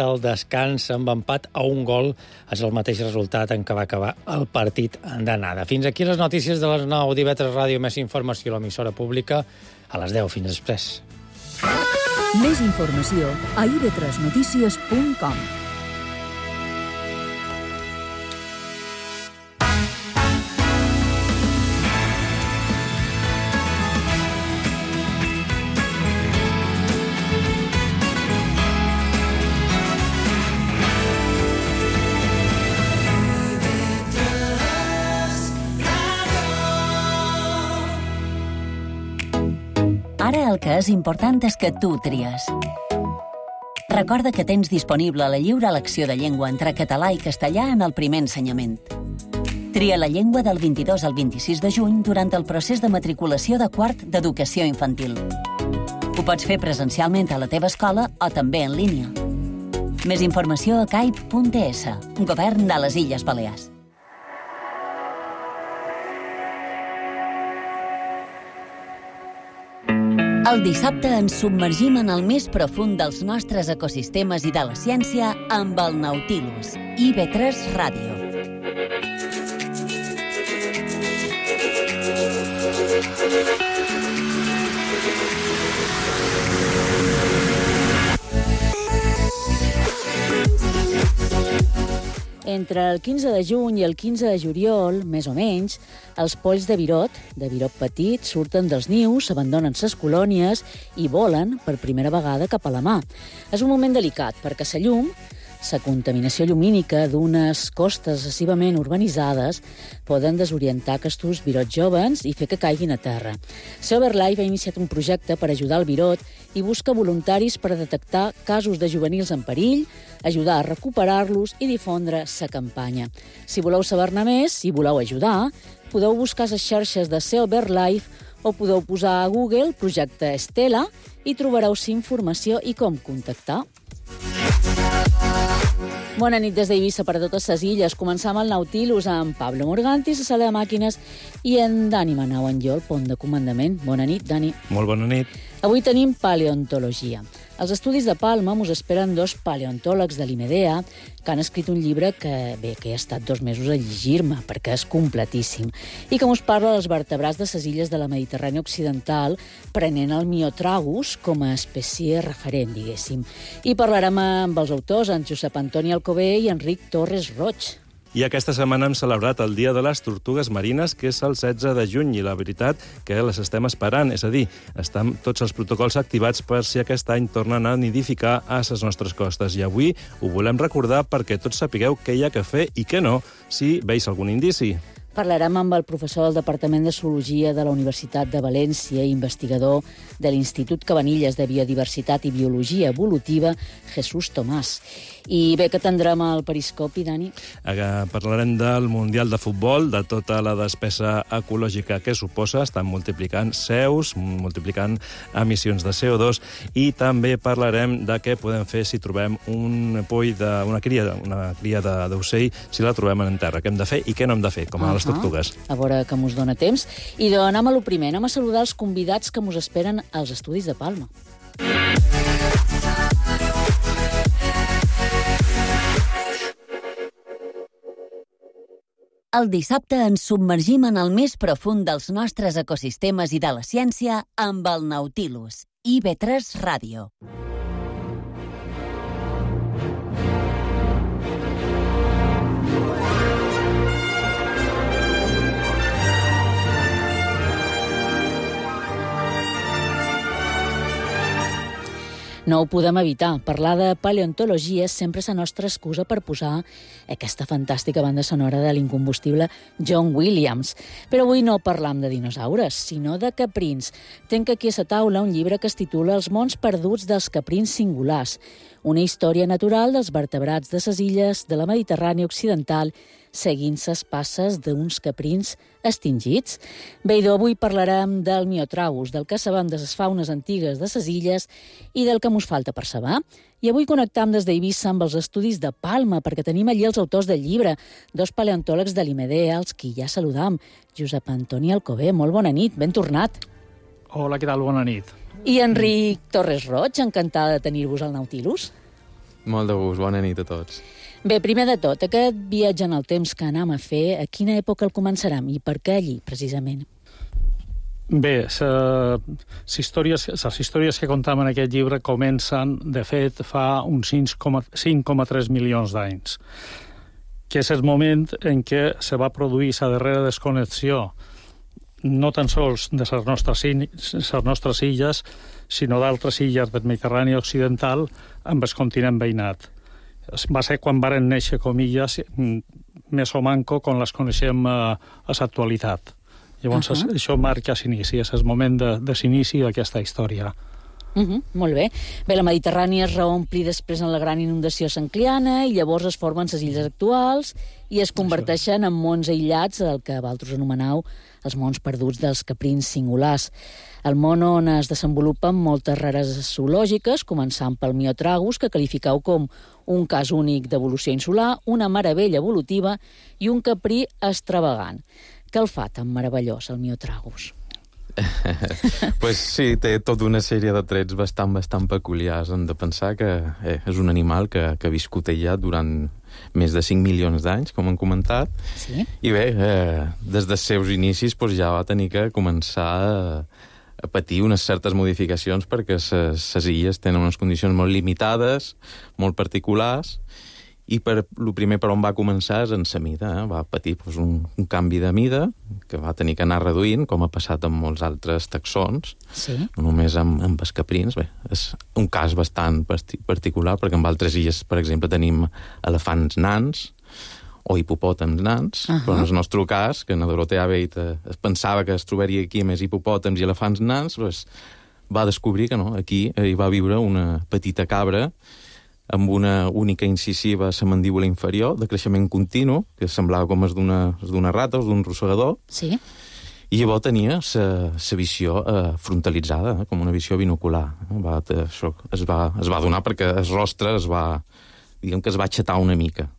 el descans amb empat a 1 gol és el mateix resultat en què va acabar el partit d'anada. Fins aquí les notícies de les 9 d'IV3 Ràdio. Més informació a l'emissora pública a les 10. Fins després. Més informació a ib3notícies.com. Ara el que és important és que tu tries. Recorda que tens disponible la lliure elecció de llengua entre català i castellà en el primer ensenyament. Tria la llengua del 22 al 26 de juny durant el procés de matriculació de quart d'educació infantil. Ho pots fer presencialment a la teva escola o també en línia. Més informació a caip.es, Govern de les Illes Balears. El dissabte ens submergim en el més profund dels nostres ecosistemes i de la ciència amb el Nautilus, IB3 Ràdio. Entre el 15 de juny i el 15 de juliol, més o menys, els polls de virot petit, surten dels nius, abandonen ses colònies i volen per primera vegada cap a la mar. És un moment delicat perquè la llum, la contaminació llumínica d'unes costes excessivament urbanitzades poden desorientar aquests virots joves i fer que caiguin a terra. SeoBirdLife ha iniciat un projecte per ajudar el virot i busca voluntaris per detectar casos de juvenils en perill, ajudar a recuperar-los i difondre la campanya. Si voleu saber-ne més, si voleu ajudar, podeu buscar les xarxes de SeoBirdLife o podeu posar a Google projecte Estela i trobareu informació i com contactar. Bona nit des d'Eivissa per a totes les illes. Començam el Nautilus amb Pablo Morganti, la sala de màquines, i en Dani Manau en jo, el pont de comandament. Bona nit, Dani. Molt bona nit. Avui tenim paleontologia. Als estudis de Palma mos esperen 2 paleontòlegs de l'IMEDEA que han escrit un llibre que he estat 2 mesos a llegir-me perquè és completíssim i que mos parla dels vertebrats de les illes de la Mediterrània Occidental prenent el Myotragus com a espècie referent, diguéssim. I parlarem amb els autors, en Josep Antoni Alcover i Enric Torres Roig. I aquesta setmana hem celebrat el Dia de les Tortugues Marines, que és el 16 de juny, i la veritat que les estem esperant, és a dir, estan tots els protocols activats per si aquest any tornen a nidificar a les nostres costes. I avui ho volem recordar perquè tots sapigueu què hi ha que fer i què no, si veus algun indici. Parlarem amb el professor del Departament de Zoologia de la Universitat de València i investigador de l'Institut Cabanilles de Biodiversitat i Biologia Evolutiva, Jesús Tomàs. I bé, que tindrem al periscopi, Dani? Parlarem del Mundial de Futbol, de tota la despesa ecològica que suposa. Estan multiplicant CEUs, multiplicant emissions de CO2, i també parlarem de què podem fer si trobem una cria d'ocell, si la trobem en terra. Què hem de fer i què no hem de fer, com a les tortugues. A veure que mos dona temps. I anem a lo primer, anem a saludar els convidats que mos esperen als estudis de Palma. El dissabte ens submergim en el més profund dels nostres ecosistemes i de la ciència amb el Nautilus, IB3 Ràdio. No ho podem evitar. Parlar de paleontologia sempre és la nostra excusa per posar aquesta fantàstica banda sonora de l'incombustible John Williams. Però avui no parlam de dinosaures, sinó de caprins. Tenc aquí a la taula un llibre que es titula Els mons perduts dels caprins singulars, una història natural dels vertebrats de les illes de la Mediterrània Occidental seguint les passes d'uns caprins extingits. Bé, avui parlarem del Myotragus, del que sabem de les faunes antigues de les illes i del que mos falta per saber. I avui connectam des d'Eivissa amb els estudis de Palma, perquè tenim allí els autors del llibre, 2 paleontòlegs de l'IMEDEA, als qui ja saludam. Josep Antoni Alcover, molt bona nit, ben tornat. Hola, què tal? Bona nit. I Enric Torres Roig, encantada de tenir-vos al Nautilus. Molt de gust, bona nit a tots. Bé, primer de tot, aquest viatge en el temps que anam a fer, a quina època el començarem i per què allí, precisament? Bé, les històries que contam en aquest llibre comencen, de fet, fa uns 5,3 milions d'anys, que és el moment en què se va produir la darrera desconnexió, no tan sols de les nostres illes, sinó d'altres illes del Mediterrani occidental amb el continent veïnat. Va ser quan varen néixer, com illes, més o manco, com les coneixem a l'actualitat. Llavors, això marca l'inici, és el moment de l'inici d'aquesta història. Molt bé. Bé, la Mediterrània es reompli després en la gran inundació sancliana i llavors es formen les illes actuals i es converteixen en mons aïllats, el que vosaltres anomenau els mons perduts dels caprins singulars. El món on es desenvolupen moltes rareses zoològiques, començant pel Myotragus, que qualificau com un cas únic d'evolució insular, una meravella evolutiva i un caprí extravagant. Què el fa tan meravellós, el Myotragus? Pues sí, té tota una sèrie de trets bastant peculiars. Hem de pensar que és un animal que ha viscut aïllat durant més de 5 milions d'anys, com hem comentat. Sí. I bé, des dels seus inicis ja va tenir que començar a patir unes certes modificacions perquè les illes tenen unes condicions molt limitades, molt particulars, i el primer per on va començar és en la mida. Va patir un canvi de mida que va tenir que anar reduint, com ha passat amb molts altres taxons, no només amb els caprins. Bé, és un cas bastant particular, perquè en altres illes, per exemple, tenim elefants nans o hipopòtams nans, però en el nostre cas, que en Dorothea Bate es pensava que es trobaria aquí més hipopòtams i elefants nans, va descobrir que no, aquí hi va viure una petita cabra amb una única incisiva a la mandíbula inferior, de creixement continu, que semblava com és d'una rata o d'un rosegador, i llavors tenia la visió frontalitzada, com una visió binocular. Això es va donar perquè el rostre es va aixetar una mica.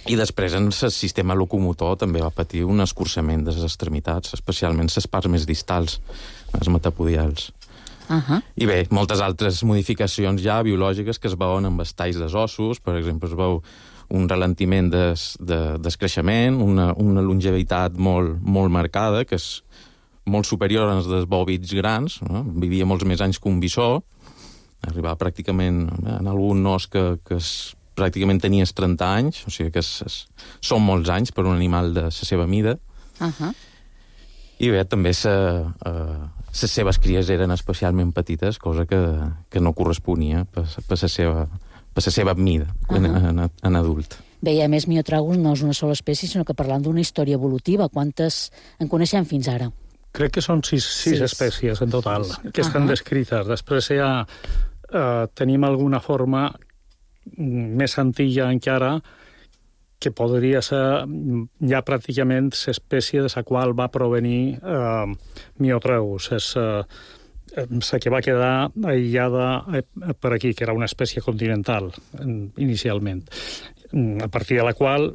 I després en el sistema locomotor també va patir un escurçament de les extremitats, especialment les parts més distals, els metapodials. I bé, moltes altres modificacions ja biològiques que es veuen amb els talls dels ossos. Per exemple, es veu un ralentiment del creixement, una longevitat molt marcada, que és molt superior als dels bòvids grans. Vivia molts més anys que un bisó. Arribava pràcticament en algun os que pràcticament tenies 30 anys, o sigui que són molts anys per un animal de la seva mida. I bé, també les seves cries eren especialment petites, cosa que no corresponia per la seva mida en adult. Bé, i a més, Myotragus no és una sola espècie, sinó que parlant d'una història evolutiva. Quantes en coneixem fins ara? Crec que són sis espècies en total, que estan descrites. Després ja tenim alguna forma més antiga encara, que podria ser ja pràcticament l'espècie de la qual va provenir Myotragus. És la que va quedar aïllada per aquí, que era una espècie continental, inicialment. A partir de la qual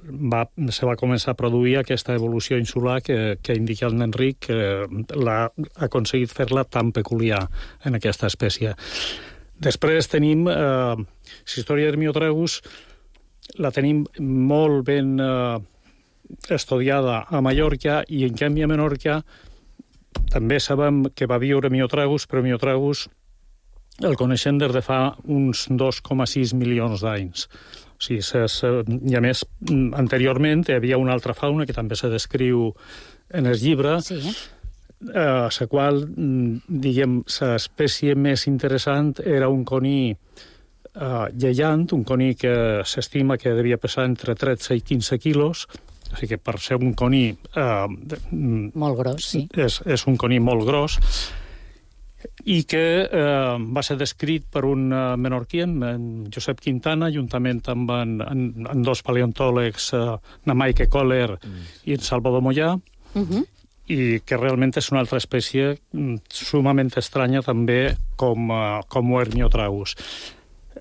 se va començar a produir aquesta evolució insular que indica el Enric, que l'ha aconseguit fer-la tan peculiar en aquesta espècie. Després tenim la història de Myotragus, la tenim molt ben estudiada a Mallorca, i en canvi a Menorca també sabem que va viure Myotragus, però Myotragus el coneixem des de fa uns 2,6 milions d'anys. O sigui, i a més, anteriorment hi havia una altra fauna que també se descriu en el llibre, la qual, diguem, l'espècie més interessant era un coní lleiant, un coní que s'estima que devia pesar entre 13 i 15 quilos, o sigui que per ser un coní molt gros, sí. És un coní molt gros, i que va ser descrit per un menorquí, en Josep Quintana, juntament amb dos paleontòlegs, na Maike Kohler i en Salvador Mollà, i que realment és una altra espècie sumament estranya també com ho és Myotragus.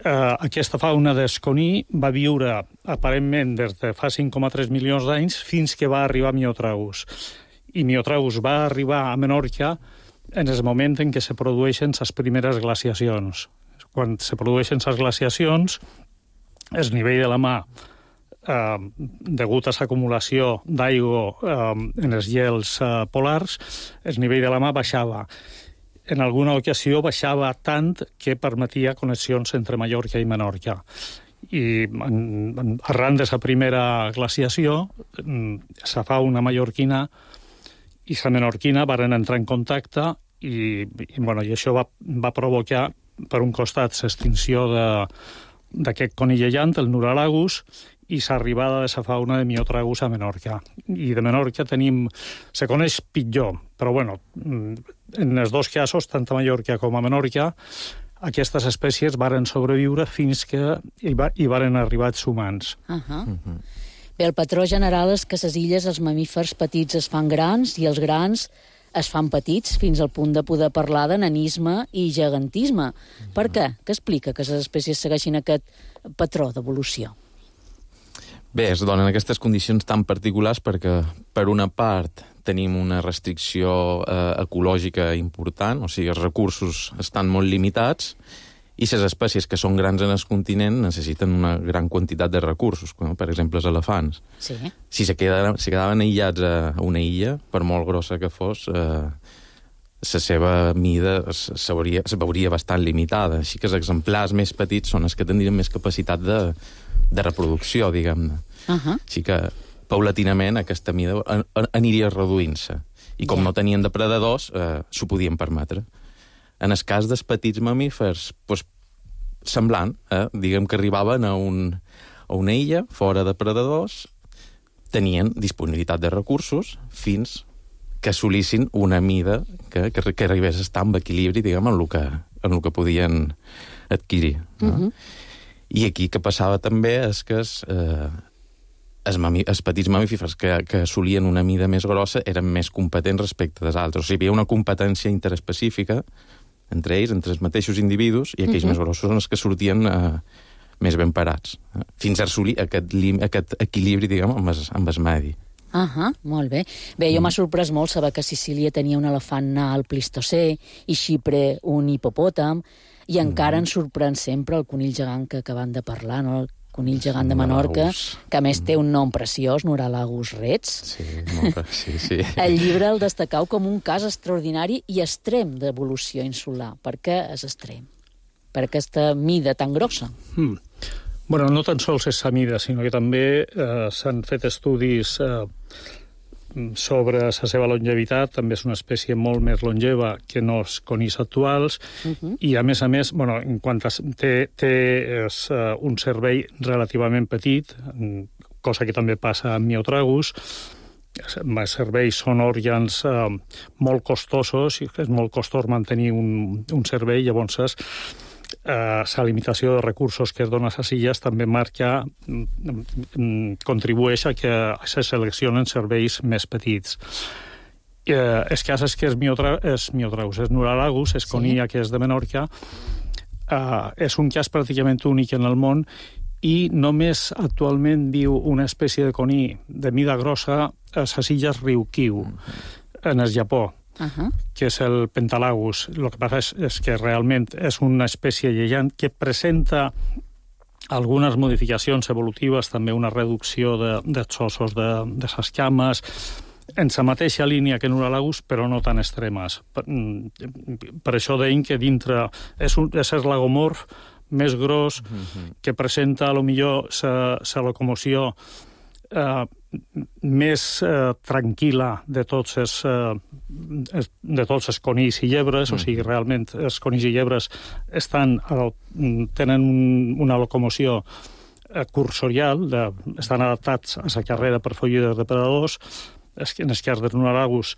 Aquesta fauna d'esconí va viure aparentment des de fa 5,3 milions d'anys fins que va arribar Myotragus. I Myotragus va arribar a Menorca en el moment en què se produeixen les primeres glaciacions. quan se produeixen les glaciacions, el nivell de la mar, degut a l'acumulació d'aigua en els gels polars, el nivell de la mar baixava. En alguna ocasió baixava tant que permetia connexions entre Mallorca i Menorca. I arran de la primera glaciació, la fauna mallorquina i la menorquina varen entrar en contacte i això va provocar, per un costat, l'extinció d'aquest conill llant, el Nuralagus, i l'arribada de la fauna de Miotragus a Menorca. I de Menorca se coneix pitjor, però en els dos casos, tant a Mallorca com a Menorca, aquestes espècies varen sobreviure fins que hi varen arribar els humans. Bé, el patró general és que a les illes els mamífers petits es fan grans i els grans es fan petits fins al punt de poder parlar de nanisme i gegantisme. Per què? Què explica que les espècies segueixin aquest patró d'evolució? Bé, es donen aquestes condicions tan particulars perquè, per una part, tenim una restricció ecològica important, o sigui, els recursos estan molt limitats i les espècies que són grans en el continent necessiten una gran quantitat de recursos, com per exemple els elefants. Sí. Si se quedaven aïllats a una illa, per molt grossa que fos, la seva mida se veuria bastant limitada. Així que els exemplars més petits són els que tindrien més capacitat de reproducció, diguem-ne. Així que, paulatinament, aquesta mida aniria reduint-se. I com no tenien depredadors, s'ho podien permetre. En el cas dels petits mamífers, semblant, diguem que arribaven a una illa, fora de predadors, tenien disponibilitat de recursos fins que assolissin una mida que arribés a estar en equilibri, diguem, en el que podien adquirir. I aquí que passava també és que els petits mamífers que assolien una mida més grossa eren més competents respecte dels altres. O sigui, hi havia una competència interespecífica entre ells, entre els mateixos individus, i aquells més grossos són els que sortien més ben parats, fins a assolir aquest equilibri, diguem, amb el medi. Molt bé. Bé, jo m'ha sorprès molt saber que Sicília tenia un elefant al Plistocè i Xipre un hipopòtam, i encara ens sorprèn sempre el conill gegant que acabem de parlar, no? El conill gegant de Menorca, que a més té un nom preciós, Nuralagus rex. Sí. El llibre el destacau com un cas extraordinari i extrem d'evolució insular. Per què és extrem? Per aquesta mida tan grossa? No tan sols és la mida, sinó que també s'han fet estudis sobre la seva longevitat. També és una espècie molt més longeva que no els conills actuals, i a més, en quant a té un cervell relativament petit, cosa que també passa amb Miotragus. Els cervells són òrgans molt costosos, i és molt costós mantenir un cervell, llavors la limitació de recursos que es dona a les illes també contribueix a que se seleccionen cervells més petits. El cas és que és Nuralagus, és conia que és de Menorca, és un cas pràcticament únic en el món, i només actualment viu una espècie de coní de mida grossa a les illes Ryukyu, en el Japó. Que és el Pentalagus. El que passa és que realment és una espècie lleiant que presenta algunes modificacions evolutives, també una reducció dels ossos de les cames, en la mateixa línia que Nuralagus, però no tan extremes. Per això deim que dintre és el lagomorf més gros, que presenta, potser, la locomoció més tranquil·la de tots els conills i llebres. O sigui, realment els conills i llebres tenen una locomoció cursorial, estan adaptats a la carrera per fugir dels depredadors. En el cas de Nuralagus,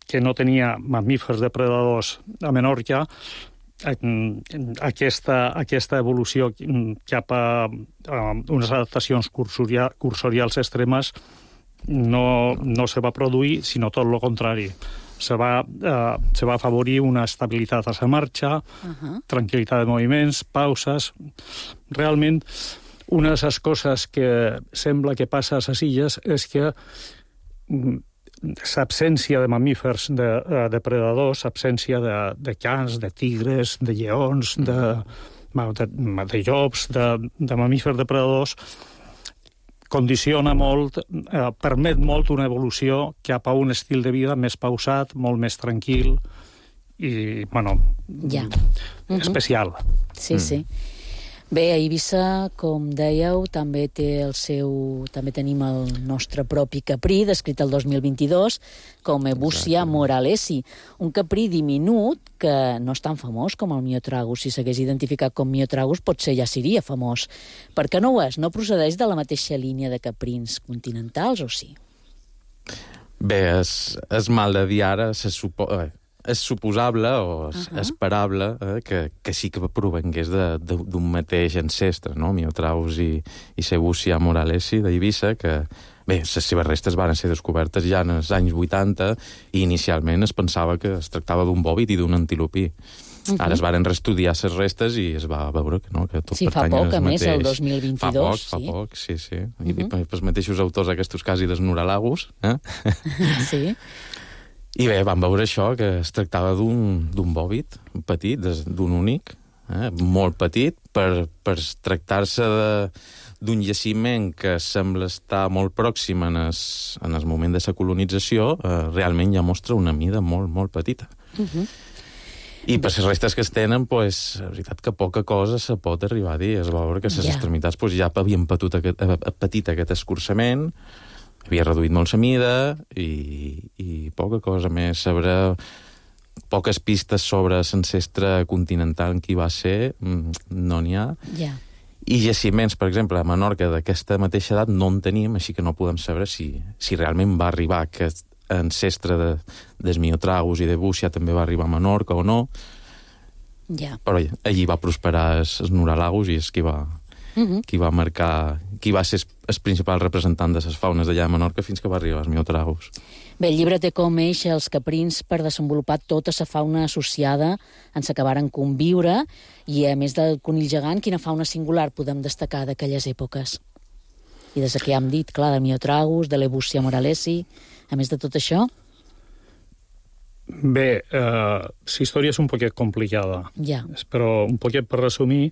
que no tenia mamífers depredadors a Menorca, aquesta evolució cap a unes adaptacions cursorials extremes no se va produir, sinó tot el contrari. Se va afavorir una estabilitat a la marxa, tranquil·litat de moviments, pauses. Realment, una de les coses que sembla que passa a les illes és que l'absència de mamífers depredadors, l'absència de cans, de tigres, de lleons, de llops, de mamífers depredadors, condiciona molt, permet molt una evolució cap a un estil de vida més pausat, molt més tranquil i, especial. Sí, sí. Bé, a Eivissa, com dèieu, també tenim el nostre propi caprí, descrit el 2022, com Ebussia moralesi, un caprí diminut que no és tan famós com el Myotragus. Si s'hagués identificat com Myotragus, potser ja seria famós. Per què no ho és? No procedeix de la mateixa línia de caprins continentals, o sí? Bé, és mal de dir ara, és suposable o esperable que sí que provengués d'un mateix ancestre, no? Myotragus i Ebussia moralesi d'Eivissa, que, bé, les seves restes van ser descobertes ja en els anys 80 i inicialment es pensava que es tractava d'un bòvid i d'un antilopí. Ara es van reestudiar les restes i es va veure que no, que tot pertany al mateix. Sí, fa poc, a més, el 2022. Fa poc, sí. I els mateixos autors aquests quasi dels Nuralagus. Sí. I bé, vam veure això, que es tractava d'un bòvid petit, d'un únic, molt petit, per tractar-se d'un jaciment que sembla estar molt pròxim en el moment de la colonització, realment ja mostra una mida molt, molt petita. I per les restes que es tenen, la veritat que poca cosa se pot arribar a dir. Es va veure que les extremitats ja havien patit aquest escurçament, havia reduït molt la mida i poca cosa més sobre poques pistes sobre l'ancestre continental en qui va ser, no n'hi ha. I jaciments, per exemple, a Menorca d'aquesta mateixa edat no en tenim, així que no podem saber si realment va arribar aquest ancestre dels Myotragus i d'Ebussia també va arribar a Menorca o no. Però allí va prosperar els Nuralagus i és qui va marcar, qui va ser el principal representant de les faunes d'allà a Menorca fins que va arribar als Myotragus. Bé, el llibre té com eix els caprins per desenvolupar tota la fauna associada en s'acabaren conviure i, a més del conill gegant, quina fauna singular podem destacar d'aquelles èpoques? I des que ja hem dit, clar, del Myotragus, de l'Ebussia moralesi, a més de tot això? Bé, la història és un poquet complicada, però un poquet per resumir,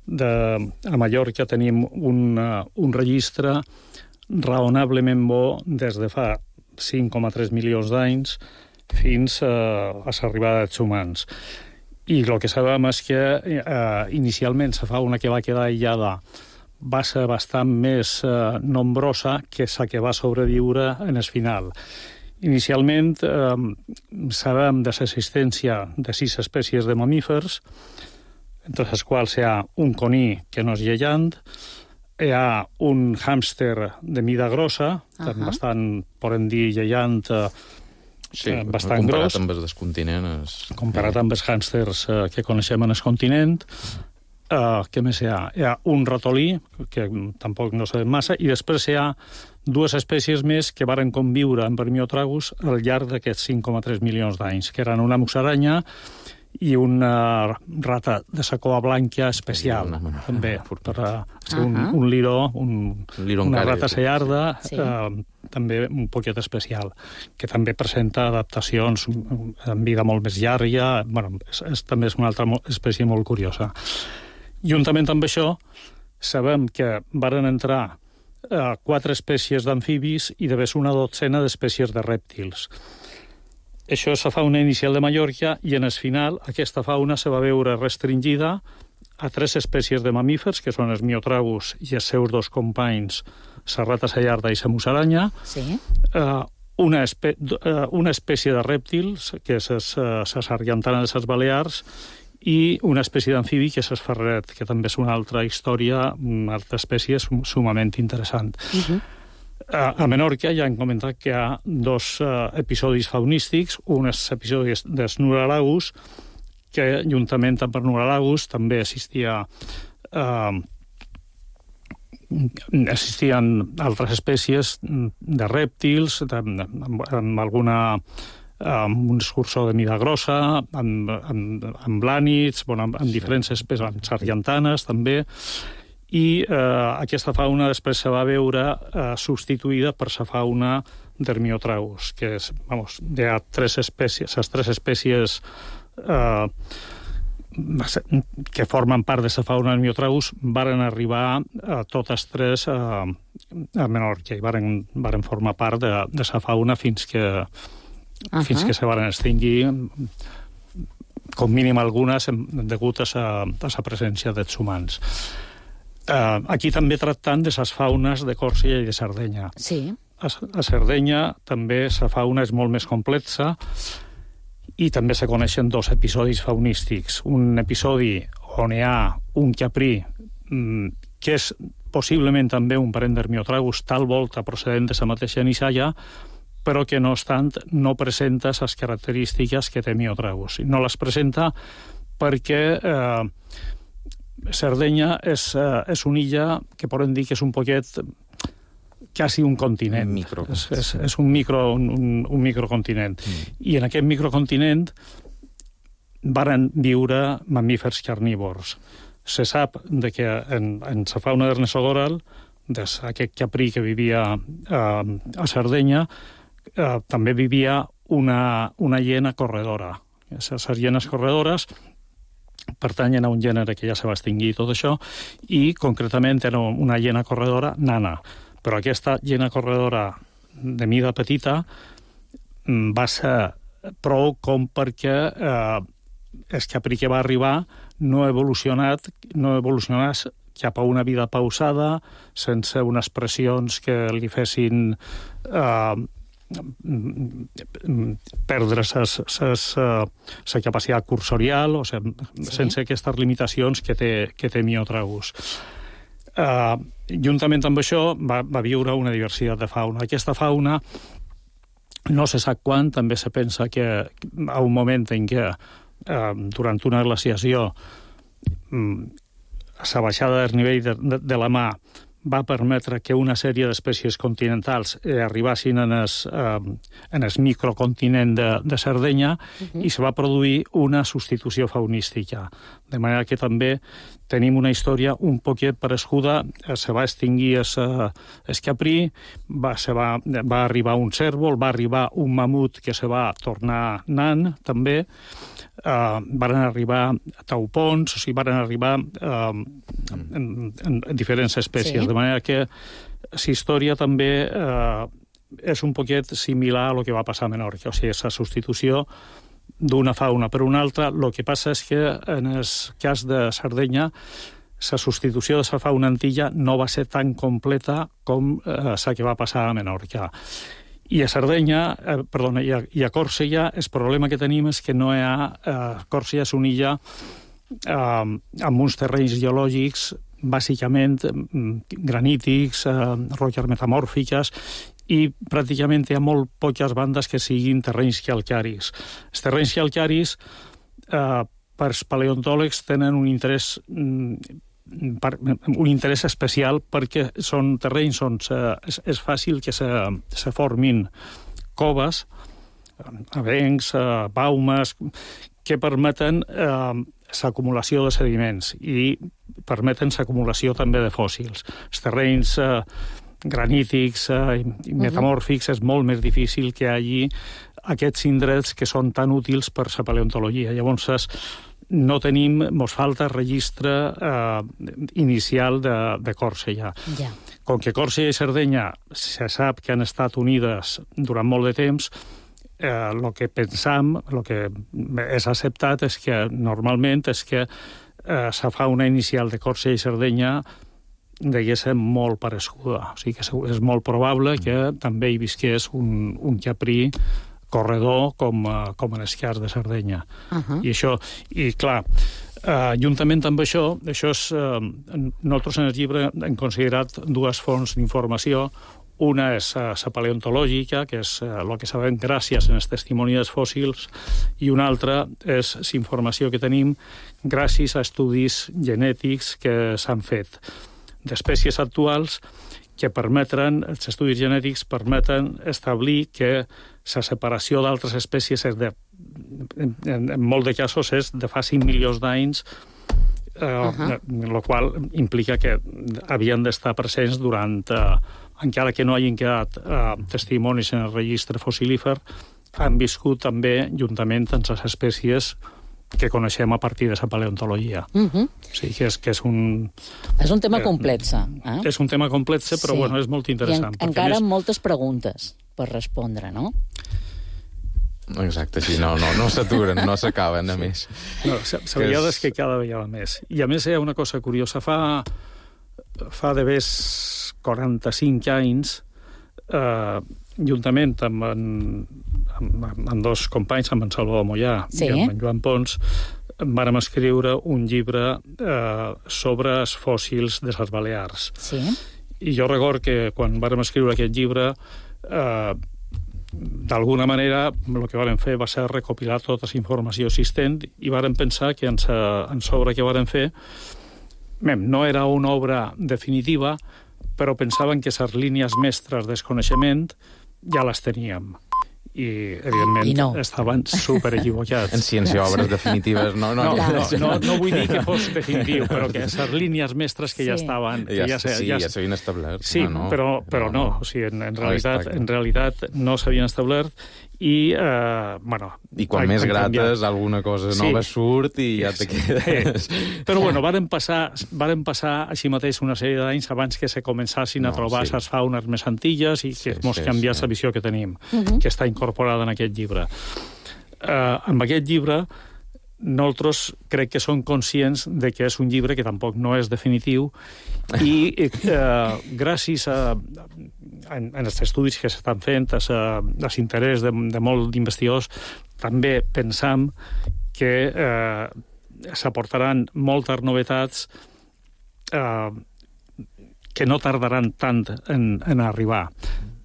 a Mallorca tenim un registre raonablement bo des de fa 5,3 milions d'anys fins a l'arribada dels humans. I el que sabem és que inicialment la fauna que va quedar aïllada va ser bastant més nombrosa que la que va sobreviure en el final. Inicialment sabem de l'existència de 6 espècies de mamífers, entre les quals hi ha un coní que no és lleiant, hi ha un hàmster de mida grossa, bastant, podem dir, lleiant, bastant gros. Comparat amb els del continent. Comparat amb els hàmsters que coneixem en el continent. Què més hi ha? Hi ha un ratolí, que tampoc no sabem massa, i després hi ha 2 espècies més que varen conviure amb el Myotragus al llarg d'aquests 5,3 milions d'anys, que eren una musaranya i una rata de la cua blanca especial, també, per ser un liró, una rata sellarda, també un poquet especial, que també presenta adaptacions en vida molt més llarga. També és una altra espècie molt curiosa. Juntament amb això, sabem que varen entrar 4 espècies d'amfibis i de una 12 d'espècies de rèptils. Això és la fauna inicial de Mallorca i en el final aquesta fauna se va veure restringida a 3 espècies de mamífers, que són els Myotragus i els seus 2 companys, la rata sellarda i la musaranya, una espècie de rèptils, que és la sargantana de les Balears, i una espècie d'amfibi, que és el ferret, que també és una altra història, una altra espècie sumament interessant. A Menorca ja hem comentat que hi ha 2 episodis faunístics, un és l'episodi dels Nuralagus, que juntament amb el Nuralagus també existien altres espècies de rèptils, amb alguna amb un escurçó de mida grossa, amb blànids, amb diferents espècies, amb sargantanes també, i aquesta fauna després se va veure substituïda per la fauna del Myotragus, que és, hi ha 3 espècies, les 3 espècies que formen part de la fauna del Miotragus, varen arribar totes tres a Menorca i varen formar part de la fauna fins que se varen extingir, com mínim algunes, degut a la presència dels humans. Aquí també tractant de les faunes de Còrsega i de Sardenya. Sí. A Sardenya també la fauna és molt més complexa i també se coneixen dos episodis faunístics. Un episodi on hi ha un caprí que és possiblement també un parent d'Hermiotragus, tal volta procedent de la mateixa nissaia, però que no obstant no presenta les característiques que té Miotragus. No les presenta perquè Sardenya és una illa que podem dir que és un poquet quasi un continent. És un microcontinent. I en aquest microcontinent varen viure mamífers carnívors. Se sap que en la fauna d'Ernestogoral, aquest caprí que vivia a Sardenya, també vivia una hiena corredora. Les hienes corredores pertanyen a un gènere que ja se va extingir tot això, i concretament era una hiena corredora nana. Però aquesta hiena corredora de mida petita va ser prou com perquè el caprí que va arribar no evolucionés cap a una vida pausada, sense unes pressions que li fessin perdre la capacitat cursorial, o sigui, sense aquestes limitacions que té Miotragus. Juntament amb això va viure una diversitat de fauna. Aquesta fauna, no se sap quan, també se pensa que a un moment en què durant una glaciació la baixada del nivell de la mar va permetre que una sèrie d'espècies continentals arribassin en el microcontinent de Sardenya i se va produir una substitució faunística. De manera que també tenim una història un poquet parescuda. Se va extingir el caprí, va arribar un cérvol, va arribar un mamut que se va tornar nan, també. Varen arribar taupons, o sigui, varen arribar en diferents espècies. Sí. De manera que la història també és un poquet similar a lo que va passar a Menorca, o sigui, la substitució d'una fauna per una altra. El que passa és que en el cas de Sardenya la substitució de la fauna antilla no va ser tan completa com la que va passar a Menorca. I a Sardenya, i a Còrsega, el problema que tenim és que no hi ha... Còrsega és una illa amb uns terrenys geològics bàsicament granítics, roques metamòrfiques, i pràcticament hi ha molt poques bandes que siguin terrenys calcaris. Els terrenys calcaris, per als paleontòlegs, tenen un interès especial perquè són terrenys on és fàcil que se formin coves, avencs, baumes, que permeten l'acumulació de sediments i permeten l'acumulació també de fòssils. Els terrenys granítics i metamòrfics és molt més difícil que hi hagi aquests indrets que són tan útils per la paleontologia. Llavors, no tenim, mos falta registre inicial de Còrsega. Ja. Com que Còrsega i Sardenya se sap que han estat unides durant molt de temps, el que pensam, el que és acceptat és que normalment és que la fauna inicial de Còrsega i Sardenya degués ser molt parescuda. O sigui que és molt probable que també hi visqués un caprí corredor com en el cas de Sardenya. I clar, juntament amb això és... Nosaltres en el llibre hem considerat dues fonts d'informació. Una és la paleontològica, que és el que sabem gràcies als testimonis dels fòssils, i una altra és la informació que tenim gràcies a estudis genètics que s'han fet d'espècies actuals que permeten, els estudis genètics permeten establir que la separació d'altres espècies en molt de casos és de fa 5 milions d'anys, el qual implica que havien d'estar presents durant, encara que no hagin quedat testimonis en el registre fossilífer, han viscut també juntament amb les espècies que coneixem a partir de la paleontologia. O sigui que és un... És un tema complex, eh? És un tema complex, però bueno, és molt interessant. I encara amb moltes preguntes per respondre, no? Exacte, sí, no s'aturen, no s'acaben, a més. No, la veritat és que cada vegada més. I a més hi ha una cosa curiosa. Fa de ves 45 anys, juntament amb dos companys, amb en Salvador Mollà i amb en Joan Pons, vàrem escriure un llibre sobre els fòssils de les Balears. Sí. I jo record que quan vàrem escriure aquest llibre, d'alguna manera el que vàrem fer va ser recopilar tota la informació existent i vàrem pensar que en l'obra que vàrem fer no era una obra definitiva, però pensaven que les línies mestres del coneixement ja les teníem. I, evidentment, estaven superequivocats. En ciència, obres definitives, no vull dir que fos definitiu, però que les línies mestres que ja estaven... Ja s'havien establert. Sí, però no. O sigui, en realitat no s'havien establert i, I quan més grates, alguna cosa nova surt i ja te quedes... Però, bueno, varen passar així mateix una sèrie d'anys abans que se començassin a trobar les faunes més antilles i que mos canviés la visió que tenim, que està incorporada en aquest llibre. Amb aquest llibre, nosaltres crec que som conscients de que és un llibre que tampoc no és definitiu i gràcies en els estudis que s'estan fent, els interès de molts d'investigadors, també pensam que s'aportaran moltes novetats que no tardaran tant en arribar.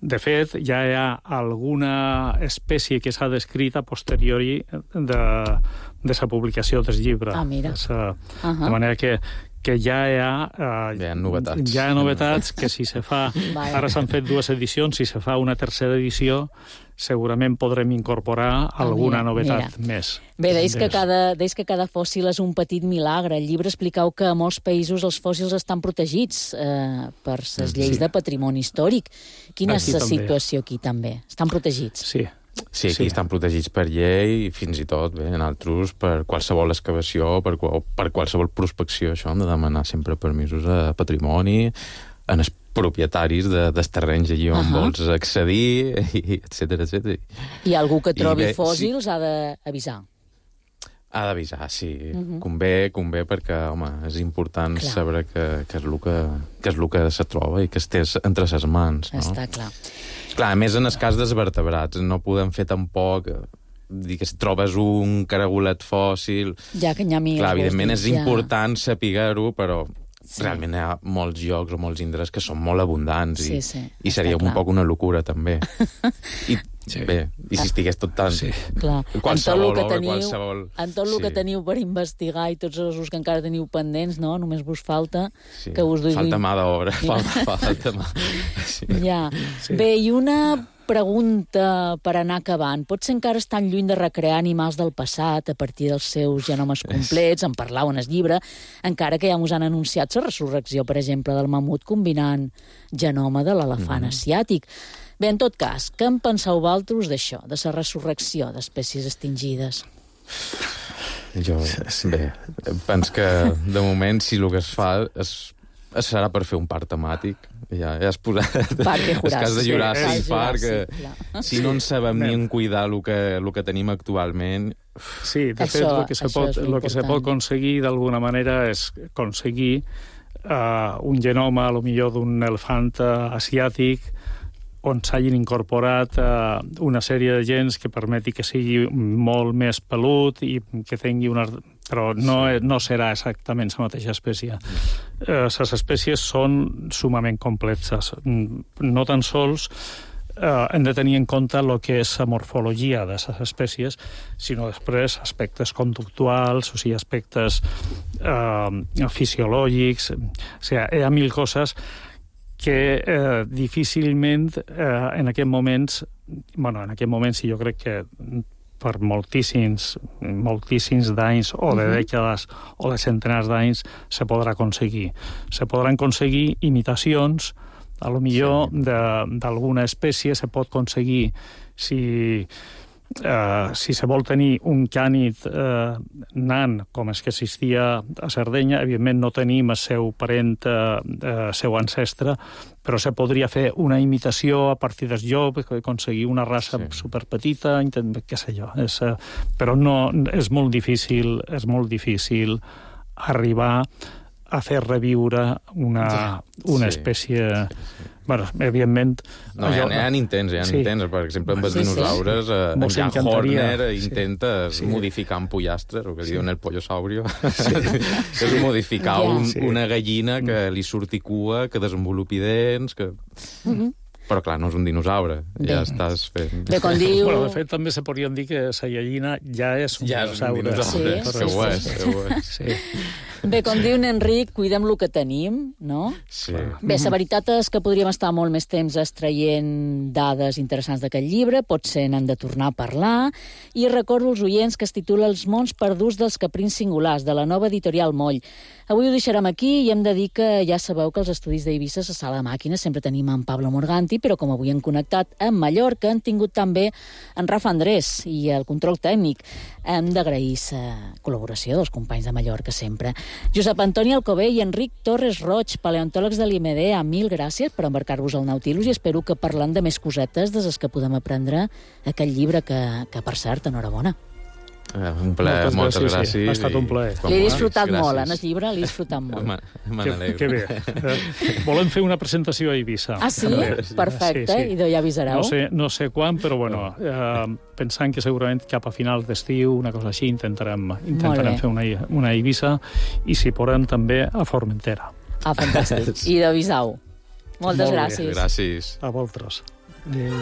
De fet, ja hi ha alguna espècie que s'ha descrit a posteriori de la publicació del llibre. Mira. De manera que ja hi ha novetats. Ja hi ha novetats que si se fa... Ara s'han fet 2 edicions, si se fa una tercera edició, segurament podrem incorporar alguna novetat més. Bé, deies que cada fòssil és un petit milagre. Al llibre expliqueu que a molts països els fòssils estan protegits per les lleis de patrimoni històric. Quina és la situació aquí també? Estan protegits? Sí, aquí estan protegits per llei i fins i tot, en altres, per qualsevol excavació, per qualsevol prospecció. Això hem de demanar sempre permisos a patrimoni, en els propietaris dels terrenys allí on vols accedir, etc. I algú que trobi fòssils ha d'avisar? Ha d'avisar, sí. Convé perquè, home, és important saber què és el que se troba i que estés entre ses mans. Està clar. Clar, a més, en el cas dels vertebrats, no podem fer tampoc... dir que si trobes un caragolet fòssil... Ja que n'hi ha mil. Clar, evidentment és important saber-ho, però realment hi ha molts llocs o molts indrets que són molt abundants i seria un poc una locura, també. Bé, i si estigués tot tan... Qualsevol obra, qualsevol... En tot el que teniu per investigar i tots els que encara teniu pendents, no? Només vos falta que us duguin... Falta mà d'obra, falta mà. Bé, i una pregunta per anar acabant. Potser encara estan lluny de recrear animals del passat a partir dels seus genomes complets, en parlau en el llibre, encara que ja us han anunciat la resurrecció, per exemple, del mamut combinant genoma de l'elefant asiàtic. Bé, en tot cas, què en penseu vosaltres d'això, de la resurrecció d'espècies extingides? Jo, penso que, de moment, si el que es fa serà per fer un parc temàtic. Ja has posat el cas de Jurassic Park. Si no en sabem ni en cuidar el que tenim actualment... Sí, de fet, el que se pot aconseguir d'alguna manera és aconseguir un genoma, potser d'un elefant asiàtic, on s'hagin incorporat una sèrie de gens que permeti que sigui molt més pelut i que tingui una... Però no serà exactament la mateixa espècie. Les espècies són sumament complexes. No tan sols hem de tenir en compte el que és la morfologia de les espècies, sinó després aspectes conductuals, o sigui, aspectes fisiològics... O sigui, hi ha mil coses que difícilment en aquest moments jo crec que per moltíssims d'anys o de dècades o de centenars d'anys se podrà aconseguir. Se podran aconseguir imitacions, a lo millor d'alguna espècie se pot aconseguir si si se vol tenir un cànid nan, com és que existia a Sardenya, evidentment no tenim el seu parent, seu ancestre, però se podria fer una imitació a partir del llop, aconseguir una raça superpetita, què sé jo. Però no, és molt difícil arribar a fer reviure una espècie... Bueno, evidentment... No, hi ha intents, per exemple, amb els dinosaures, en Jan Horner intenta modificar un pollastre, el que li diuen el pollosaurio, és modificar una gallina que li surti cua, que desenvolupi dents, que... Però, clar, no és un dinosaure. Ja estàs fent... Bé, com diu... Bueno, de fet, també se podrien dir que la gallina ja és un dinosaure. Sí. Bé, com diu Enric, cuidem el que tenim, no? Sí. Bé, la veritat és que podríem estar molt més temps extraient dades interessants d'aquest llibre, potser n'hem de tornar a parlar, i recordo als oients que es titula Els mons perduts dels caprins singulars, de la nova editorial Moll. Avui ho deixarem aquí i hem de dir que ja sabeu que els estudis d'Eivissa, a Sala de Màquines, sempre tenim en Pablo Morganti, però com avui hem connectat amb Mallorca, han tingut també en Rafa Andrés i el control tècnic. Hem d'agrair la col·laboració dels companys de Mallorca sempre. Josep Antoni Alcobé i Enric Torres Roig, paleontòlegs de l'IMD, mil gràcies per embarcar-vos al Nautilus i espero que parlant de més cosetes de les que podem aprendre aquest llibre que per cert, enhorabona. Un plaer, moltes gràcies. Ha estat un plaer. L'he disfrutat molt, en el llibre l'he disfrutat molt. Me n'alegro. Que bé. Volem fer una presentació a Eivissa. Ah, sí? Perfecte, i ja avisareu. No sé quan, però bueno, pensant que segurament cap a finals d'estiu, una cosa així, intentarem fer una Eivissa, i si podem també a Formentera. Ah, fantàstic. I d'avisau. Moltes gràcies. Gràcies. A vosaltres. Adéu.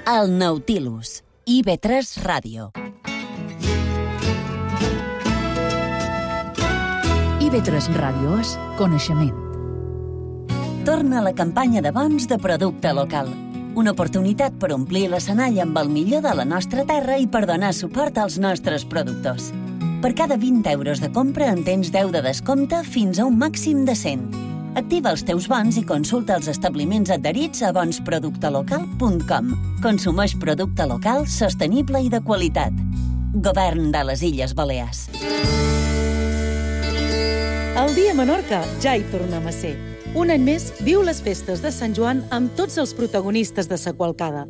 El Nautilus, IB3 Ràdio. IB3 Ràdio és coneixement. Torna la campanya de bons de producte local. Una oportunitat per omplir l'escenari amb el millor de la nostra terra i per donar suport als nostres productors. Per cada 20 euros de compra en tens 10 de descompte fins a un màxim de 100. Activa els teus bons i consulta els establiments adherits a bonsproductelocal.com. Consumeix producte local, sostenible i de qualitat. Govern de les Illes Balears. El dia a Menorca ja hi tornem a ser. Un any més viu les festes de Sant Joan amb tots els protagonistes de sa qualcada.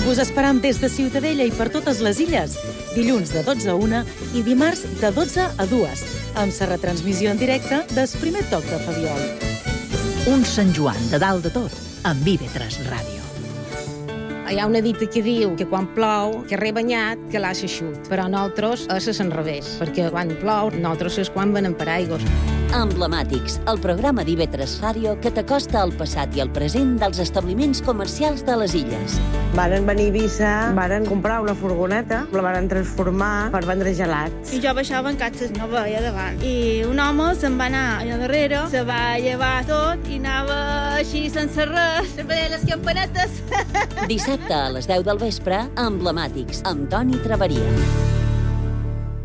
Us esperam des de Ciutadella i per totes les illes, dilluns de 12 a 1 i dimarts de 12 a 2, amb la retransmissió en directe del primer toc de Fabiol. Un Sant Joan de dalt de tot, amb IB3 Ràdio. Hi ha una dita que diu que quan plou, que rebanyat, que l'ha eixut. Però nosaltres és al revés, perquè quan plou, nosaltres és quan venem paraigües. Emblemàtics, el programa d'IB3 Ràdio que t'acosta al passat i al present dels establiments comercials de les illes. Varen venir a Eivissa, varen comprar una furgoneta, la varen transformar per vendre gelats. I jo baixava en catxes, no veia davant. I un home se'n va anar allà darrere, se va llevar tot i anava així sense res, veia les campanetes. Dissabte a les 10 del vespre, Emblemàtics, amb Toni Traveria.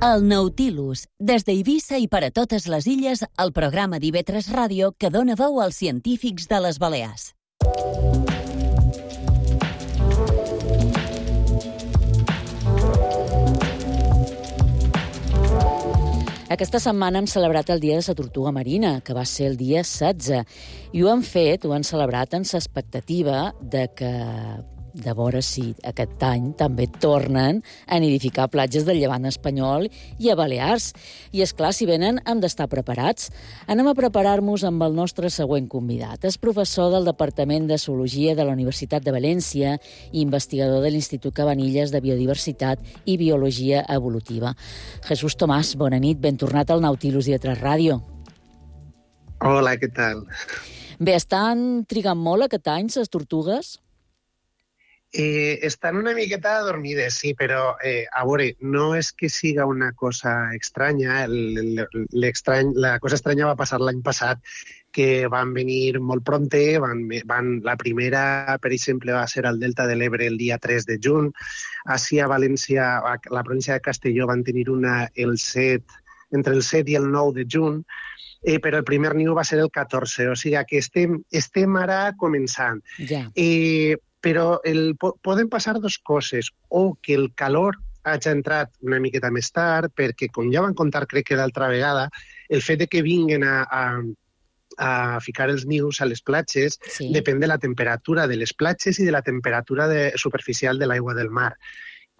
El Nautilus, des d'Eivissa i per a totes les illes, el programa d'IB3 Ràdio que dona veu als científics de les Balears. Aquesta setmana hem celebrat el Dia de la Tortuga Marina, que va ser el dia 16, i ho han celebrat en l'expectativa de veure si aquest any també tornen a nidificar platges del llevant espanyol i a Balears. I, esclar, si venen, hem d'estar preparats. Anem a preparar-nos amb el nostre següent convidat. És professor del Departament de Zoologia de la Universitat de València i investigador de l'Institut Cabanilles de Biodiversitat i Biologia Evolutiva. Jesús Tomàs, bona nit, ben tornat al Nautilus i a IB3 Ràdio. Hola, què tal? Bé, estan trigant molt aquest any, les tortugues? Estan una miqueta adormides, sí, però a veure, no és que siga una cosa estranya. La cosa estranya va passar l'any passat, que van venir molt prompte. La primera, per exemple, va ser al Delta de l'Ebre el dia 3 de juny. Així a València, a la província de Castelló, van tenir una el 7 entre el 7 i el 9 de juny, però el primer niu va ser el 14, o sigui que estem ara començant. Ja. Però poden passar dues coses, o que el calor hagi entrat una miqueta més tard, perquè, com ja van contar, crec que l'altra vegada, el fet de que vinguen a ficar els nius a les platges depèn de la temperatura de les platges i de la temperatura superficial de l'aigua del mar.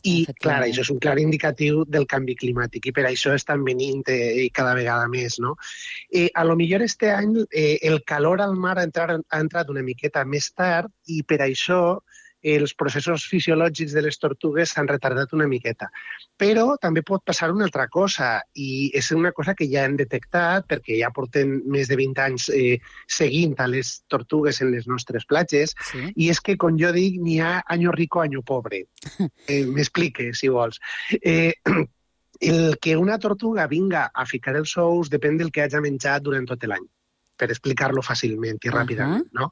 I, clar, això és un clar indicatiu del canvi climàtic i per això estan venint cada vegada més, no? A lo millor este any el calor al mar ha entrat una miqueta més tard i per això els processos fisiològics de les tortugues s'han retardat una miqueta. Però també pot passar una altra cosa, i és una cosa que ja hem detectat, perquè ja portem més de 20 anys seguint a les tortugues en les nostres platges, i és que, com jo dic, n'hi ha año rico, año pobre. M'explique, si vols. El que una tortuga vinga a ficar els ous depèn del que hagi menjat durant tot l'any, per explicar-lo fàcilment i ràpidament, no?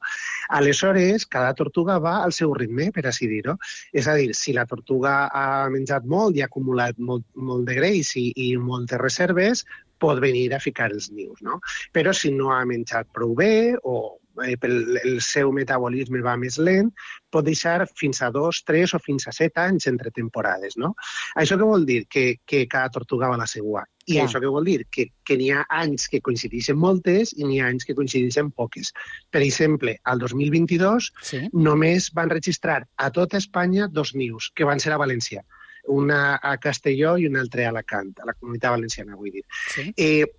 Aleshores, cada tortuga va al seu ritme, per així dir-ho. És a dir, si la tortuga ha menjat molt i ha acumulat molt de greix i moltes reserves, pot venir a ficar els nius, no? Però si no ha menjat prou bé o el seu metabolisme va més lent, pot deixar fins a 2, 3 o fins a 7 anys entre temporades, no? Això què vol dir? Que cada tortuga va a la seua. I això què vol dir? Que n'hi ha anys que coincideixen moltes i n'hi ha anys que coincideixen poques. Per exemple, al 2022 només van registrar a tota Espanya 2 nius, que van ser a València. Una a Castelló i una altra a Alacant, a la Comunitat Valenciana, vull dir.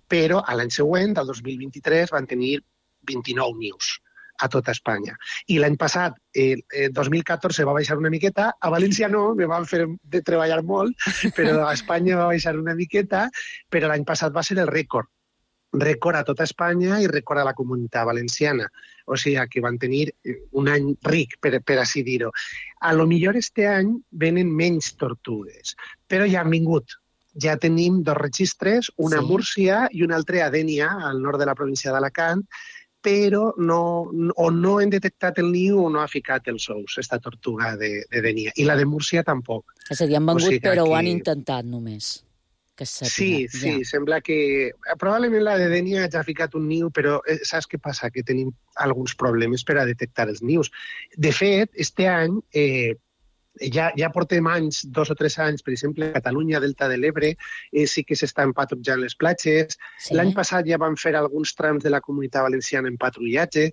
Però a l'any següent, al 2023, van tenir 29 nius a tota Espanya. I l'any passat, 2014, va baixar una miqueta. A València no, me van fer de treballar molt, però a Espanya va baixar una miqueta, però l'any passat va ser el rècord. Rècord a tota Espanya i rècord a la Comunitat Valenciana. O sigui que van tenir un any ric, per així dir-ho. A lo millor este any venen menys tortugues, però ja han vingut. Ja tenim 2 registres, una a Múrcia i un altre a Dénia, al nord de la província d'Alacant, però no hem detectat el niu o no ha ficat els ous, aquesta tortuga de Dénia. I la de Múrcia tampoc. És a dir, han vengut, però ho han intentat només. Sí, sembla que... Probablement la de Dénia ja ha ficat un niu, però saps què passa? Que tenim alguns problemes per a detectar els nius. De fet, este any... Ja portem anys, 2 o 3 anys, per exemple, a Catalunya, Delta de l'Ebre, sí que s'estan patrullant les platges. L'any passat ja van fer alguns trams de la Comunitat Valenciana en patrullatge,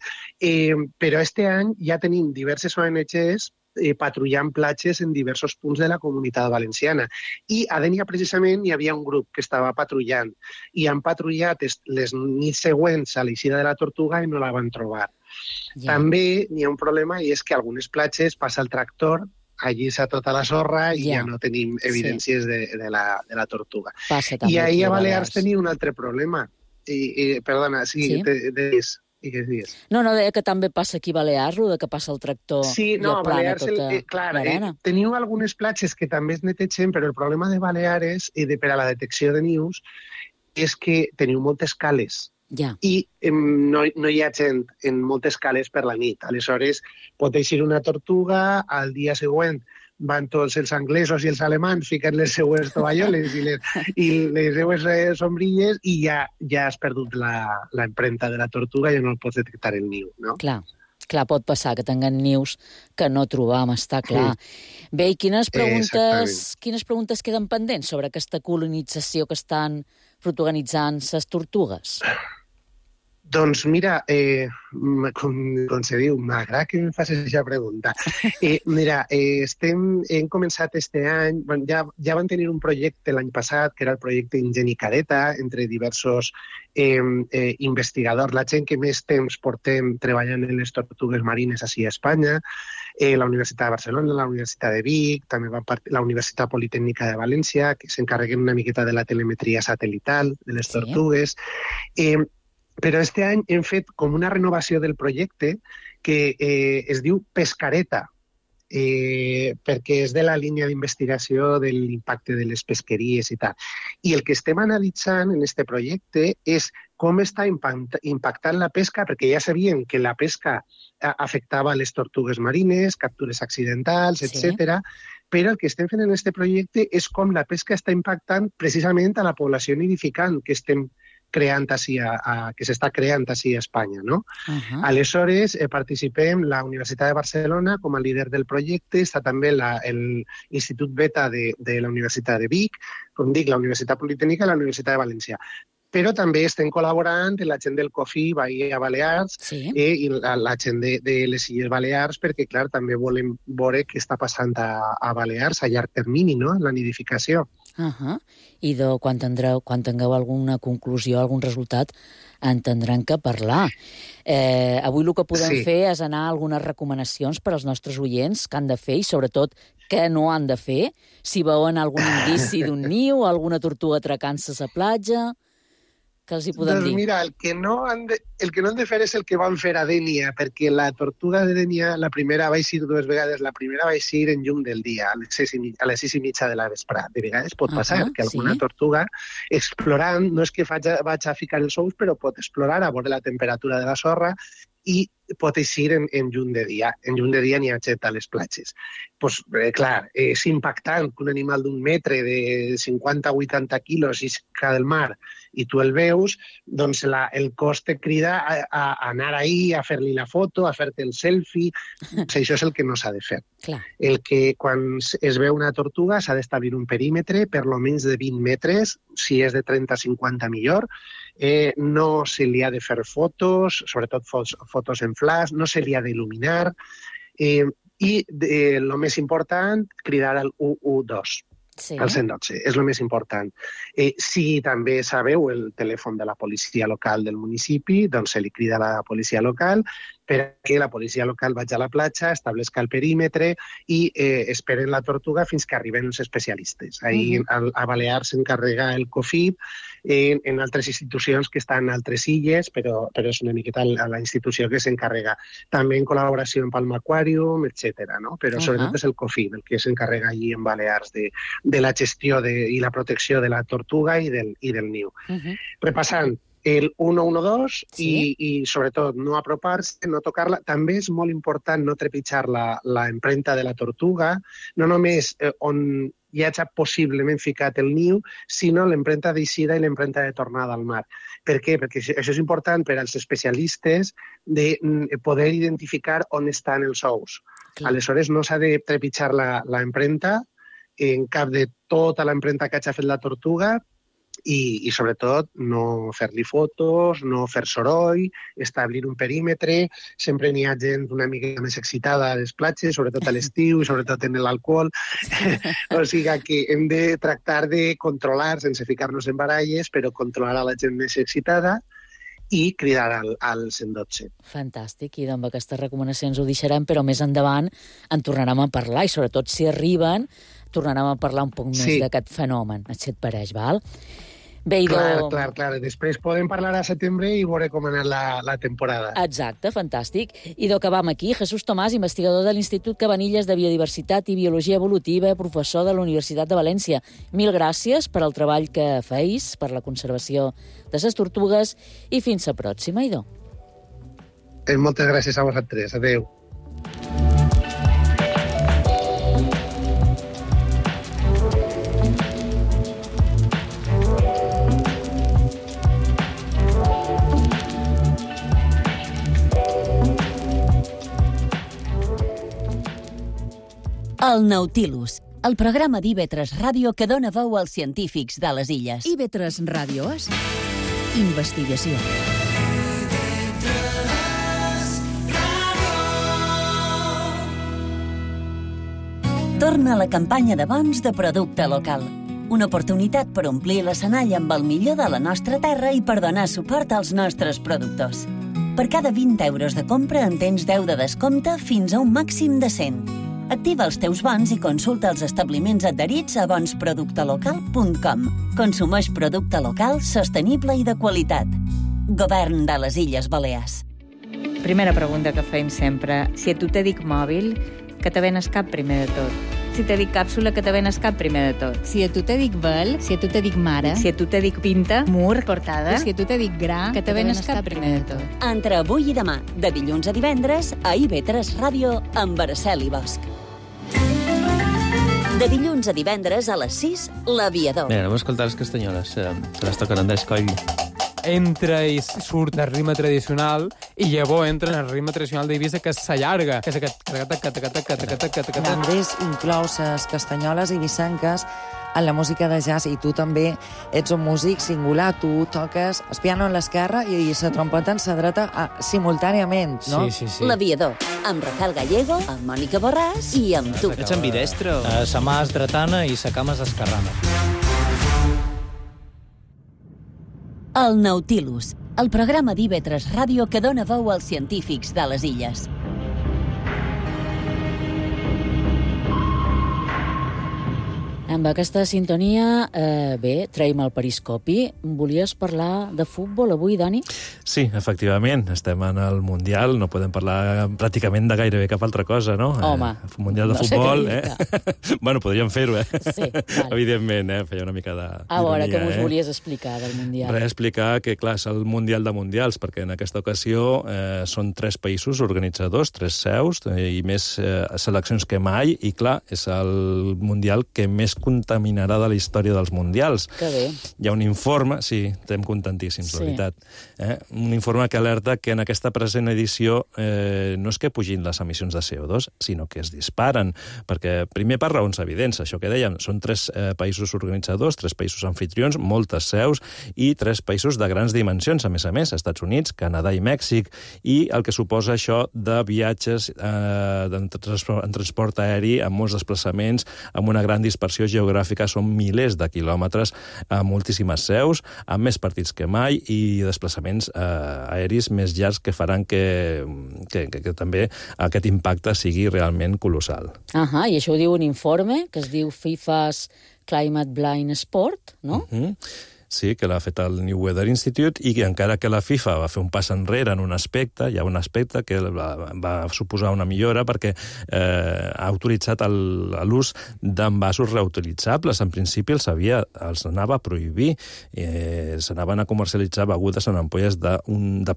però este any ja tenim diverses ONGs patrullant platges en diversos punts de la Comunitat Valenciana. I a Dénia, precisament, hi havia un grup que estava patrullant i han patrullat les nits següents a l'eixida de la tortuga i no la van trobar. També n'hi ha un problema i és que a algunes platges passa el tractor, allí s'ha tota la sorra i ja no tenim evidències de la tortuga. I ahir a Balears tenia un altre problema. Perdona, deies. No, deia que també passa aquí a Balears, el que passa el tractor i aplana tota l'arena. Teniu algunes platges que també es netegen, però el problema de Balears per a la detecció de nius és que teniu moltes cales. I no hi ha gent en moltes cales per la nit. Aleshores, pot eixir una tortuga, al dia següent van tots els anglesos i els alemans, fiquen les seues tovalloles i les seues sombrilles i ja has perdut l'empremta de la tortuga i ja no el pots detectar el niu, no? Clar, pot passar que tinguen nius que no trobam, està clar. Bé, i quines preguntes queden pendents sobre aquesta colonització que estan protagonitzant les tortugues? Doncs mira, com se diu, m'agrada que em facis aquesta pregunta. Mira, hem començat este any, ja van tenir un projecte l'any passat, que era el projecte Ingenicadeta, entre diversos investigadors, la gent que més temps portem treballant en les tortugues marines així a Espanya, la Universitat de Barcelona, la Universitat de Vic, també la Universitat Politècnica de València, que s'encarreguen una miqueta de la telemetria satelital de les tortugues. Però este any hem fet com una renovació del projecte que es diu Pescareta, perquè és de la línia d'investigació de l'impacte de les pesqueries i tal. I el que estem analitzant en este projecte és com està impactant la pesca, perquè ja sabíem que la pesca afectava les tortugues marines, captures accidentals, etc. però el que estem fent en aquest projecte és com la pesca està impactant precisament a la població nidificant que estem creant així que s'està creant així a Espanya, no? Aleshores, participem la Universitat de Barcelona com a líder del projecte, està també l'Institut Beta de la Universitat de Vic, com dic, la Universitat Politècnica i la Universitat de València. Però també estem col·laborant amb la gent del COFI Bahia Balears i la gent de les Illes Balears, perquè, clar, també volem veure què està passant a Balears a llarg termini, no?, la nidificació. I quan tingueu alguna conclusió, algun resultat, en tindran que parlar. Avui el que podem fer és anar a algunes recomanacions per als nostres oients que han de fer i, sobretot, què no han de fer, si veuen algun indici d'un niu, alguna tortuga atracant-se a la platja... que els hi podem dir? Mira, el que no han de fer és el que van fer a Dénia, perquè la tortuga de Dénia, la primera va eixir 2 vegades, la primera va eixir en llum del dia, a les 6:30 de la vesprà. De vegades pot passar que alguna tortuga, explorant, no és que vaig a ficar els ous, però pot explorar a veure la temperatura de la sorra i pot eixir en llum de dia. En llum de dia n'hi ha gent a les platges. Doncs, clar, és impactant que un animal d'un metre de 50-80 quilos isca del mar i tu el veus, doncs el cos te crida a anar ahí, a fer-li la foto, a fer-te el selfie. Això és el que no s'ha de fer. El que quan es veu una tortuga s'ha d'establir un perímetre per almenys de 20 metres, si és de 30-50 millor. No se li ha de fer fotos, sobretot fotos en flash, no se li ha d'il·luminar. I el més important, cridar al 112. El 112, és el més important. Si també sabeu el telèfon de la policia local del municipi, doncs se li crida a la policia local perquè la policia local vagi a la platja, establesca el perímetre i esperen la tortuga fins que arriben els especialistes. Ahir a Balears s'encarrega el COFIP, en altres institucions que estan en altres illes, però és una miqueta la institució que s'encarrega. També en col·laboració amb Palma Aquarium, etc. Però sobretot és el COFIP el que s'encarrega allí en Balears de la gestió i la protecció de la tortuga i del niu. Repassant, el 112 i sobretot no apropar-se, no tocar-la. També és molt important no trepitjar la empremta de la tortuga, no només on hi hagi possiblement ficat el niu, sinó l'empremta d'eixida i l'empremta de tornada al mar. Per què? Perquè això és important per als especialistes de poder identificar on estan els ous. Aleshores no s'ha de trepitjar l'empremta en cap de tota l'empremta que hagi fet la tortuga, i sobretot no fer-li fotos, no fer soroll, establir un perímetre. Sempre n'hi ha gent una mica més excitada a les platges, sobretot a l'estiu i sobretot en l'alcohol. O sigui que hem de tractar de controlar, sense ficar-nos en baralles, però controlar a la gent més excitada i cridar al 112. Fantàstic, i amb aquestes recomanacions ho deixarem, però més endavant en tornarem a parlar, i sobretot si arriben tornarem a parlar un poc més d'aquest fenomen. Així et pareix, val? Bé, clar. Després podem parlar a setembre i veure com ha anat la temporada. Exacte, fantàstic. I acabam aquí. Jesús Tomàs, investigador de l'Institut Cabanilles de Biodiversitat i Biologia Evolutiva, professor de la Universitat de València. Mil gràcies per al treball que feis, per la conservació de les tortugues, i fins a pròxima, Idò. Moltes gràcies a vosaltres. Adéu. El Nautilus, el programa d'IV3 Ràdio que dona veu als científics de les illes. IV3 Ràdio és investigació. Torna a la campanya de bons de producte local. Una oportunitat per omplir l'escenari amb el millor de la nostra terra i per donar suport als nostres productors. Per cada 20 euros de compra en tens 10 de descompte fins a un màxim de 100. Activa els teus bons i consulta els establiments adherits a bonsproductelocal.com. Consumeix producte local, sostenible i de qualitat. Govern de les Illes Balears. Primera pregunta que fem sempre. Si a tu te dic mòbil, que te venes cap primer de tot? Si te dic càpsula, que te venes cap primer de tot? Si a tu te dic vel, si a tu te dic mare, si a tu te dic pinta, mur, portada, si a tu te dic gra, que te venes cap primer de tot? Entre avui i demà, de dilluns a divendres, a IV3 Ràdio, amb Araceli Bosch. De dilluns a divendres a les 6, L'Aviador. Bé, anem a escoltar les castanyoles, que les toquen Andrés Coll. Entra i surt del ritme tradicional i llavors entra en el ritme tradicional d'Eivissa, que s'allarga, que és aquest... Andrés inclou les castanyoles eivissenques en la música de jazz, i tu també ets un músic singular. Tu toques el piano en l'esquerra i la trompeta en la dreta simultàniament, no? Sí. L'Aviador, amb Rafael Gallego, amb Mònica Borràs i amb tu. Ets ambidestro. Sa mà és dretana i sa cama és esquerrana. El Nautilus, el programa d'IV3 Ràdio que dona veu als científics de les illes. Amb aquesta sintonia, traiem el periscopi. Volies parlar de futbol avui, Dani? Sí, efectivament. Estem en el Mundial, no podem parlar pràcticament de gairebé cap altra cosa, no? Home, Mundial de futbol, Bueno, podríem fer-ho, Sí, vale. Evidentment, feia una mica de... A veure, què mos volies explicar del Mundial? Explicar que, clar, és el Mundial de Mundials, perquè en aquesta ocasió són 3 països organitzadors, 3 seus, i més seleccions que mai, i clar, és el Mundial que més contaminarà de la història dels Mundials. Que bé. Hi ha un informe, sí, estem contentíssims, la veritat. Un informe que alerta que en aquesta present edició no és que pugin les emissions de CO2, sinó que es disparen, perquè primer per raons evidents, això que dèiem, són 3 països organitzadors, 3 països anfitrions, moltes seus, i 3 països de grans dimensions, a més, Estats Units, Canadà i Mèxic, i el que suposa això de viatges en transport aeri, amb molts desplaçaments, amb una gran dispersió geogràfica, són milers de quilòmetres a moltíssimes seus, amb més partits que mai i desplaçaments aeris més llargs que faran que també aquest impacte sigui realment colossal. I això ho diu un informe que es diu FIFA's Climate Blind Sport, no? Sí, que l'ha fet el New Weather Institute, i que encara que la FIFA va fer un pas enrere en un aspecte, hi ha un aspecte que va suposar una millora perquè ha autoritzat l'ús d'envasos reutilitzables. En principi els anava a prohibir. S'anaven a comercialitzar begudes en ampolles de